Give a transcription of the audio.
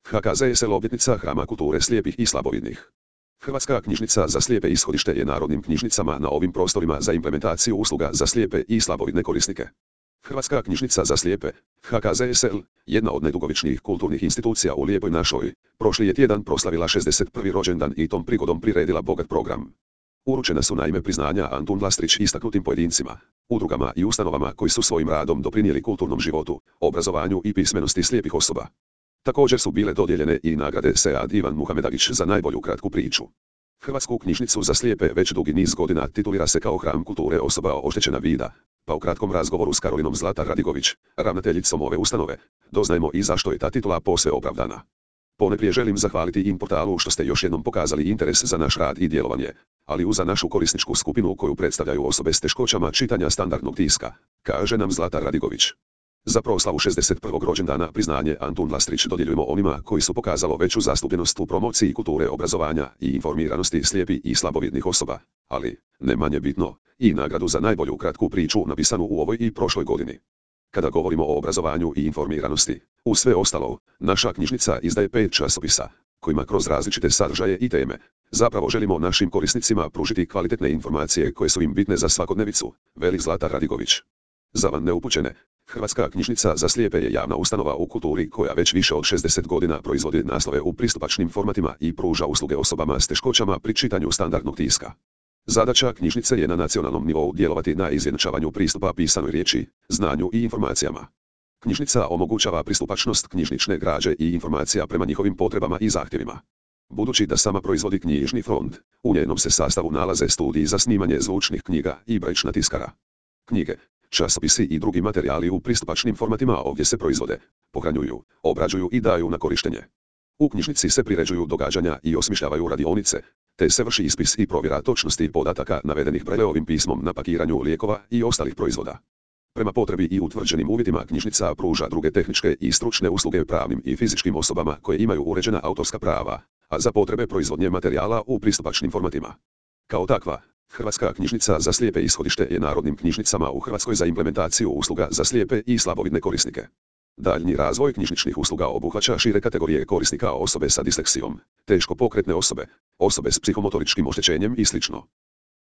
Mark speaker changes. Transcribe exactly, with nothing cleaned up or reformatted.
Speaker 1: H K Z S L obljetnica Hrama kulture slijepih i slabovidnih. Hrvatska knjižnica za slijepe ishodište je narodnim knjižnicama na ovim prostorima za implementaciju usluga za slijepe i slabovidne korisnike. Hrvatska knjižnica za slijepe, H K Z S L, jedna od najdugovječnijih kulturnih institucija u Lijepoj našoj, prošli je tjedan proslavila šezdeset prvi rođendan i tom prigodom priredila bogat program. Uručena su naime priznanja Antun Lastrić istaknutim pojedincima, udrugama i ustanovama koji su svojim radom doprinijeli kulturnom životu, obrazovanju i pismenosti slijepih osoba. Također su bile dodijeljene i nagrade Sead Ivan Muhamedagić za najbolju kratku priču. Hrvatsku knjižnicu za slijepe već dugi niz godina titulira se kao hram kulture osoba oštećena vida, pa u kratkom razgovoru s Karolinom Zlatar Radigović, ravnateljicom ove ustanove, doznajemo i zašto je ta titula posve opravdana. Poneprije želim zahvaliti im portalu što ste još jednom pokazali interes za naš rad i djelovanje, ali uz za našu korisničku skupinu koju predstavljaju osobe s teškoćama čitanja standardnog tiska, kaže nam Zlatar Radigović. Za proslavu šezdeset prvog rođendana priznanje Antun Lastrić dodjeljujemo onima koji su pokazalo veću zastupljenost u promociji kulture obrazovanja i informiranosti slijepih i slabovidnih osoba, ali, ne manje bitno, i nagradu za najbolju kratku priču napisanu u ovoj i prošloj godini. Kada govorimo o obrazovanju i informiranosti, uz sve ostalo, naša knjižnica izdaje pet časopisa, kojima kroz različite sadržaje i teme, zapravo želimo našim korisnicima pružiti kvalitetne informacije koje su im bitne za svakodnevicu, veli Zlatar Radigović. Za van neupućene, Hrvatska knjižnica za slijepe je javna ustanova u kulturi koja već više od šezdeset godina proizvodi naslove u pristupačnim formatima i pruža usluge osobama s teškoćama pri čitanju standardnog tiska. Zadaća knjižnice je na nacionalnom nivou djelovati na izjednačavanju pristupa pisanoj riječi, znanju i informacijama. Knjižnica omogućava pristupačnost knjižnične građe i informacija prema njihovim potrebama i zahtjevima. Budući da sama proizvodi knjižni fond, u njenom se sastavu nalaze studiji za snimanje zvučnih knjiga i brajična tiskara. Knjige, časopisi i drugi materijali u pristupačnim formatima ovdje se proizvode, pohranjuju, obrađuju i daju na korištenje. U knjižnici se priređuju događanja i osmišljavaju radionice, te se vrši ispis i provjera točnosti podataka navedenih Brailleovim pismom na pakiranju lijekova i ostalih proizvoda. Prema potrebi i utvrđenim uvjetima knjižnica pruža druge tehničke i stručne usluge pravnim i fizičkim osobama koje imaju uređena autorska prava, a za potrebe proizvodnje materijala u pristupačnim formatima. Kao takva, Hrvatska knjižnica za slijepe ishodište je narodnim knjižnicama u Hrvatskoj za implementaciju usluga za slijepe i slabovidne korisnike. Daljnji razvoj knjižničnih usluga obuhvaća šire kategorije korisnika, osobe sa disleksijom, teško pokretne osobe, osobe s psihomotoričkim oštećenjem i sl.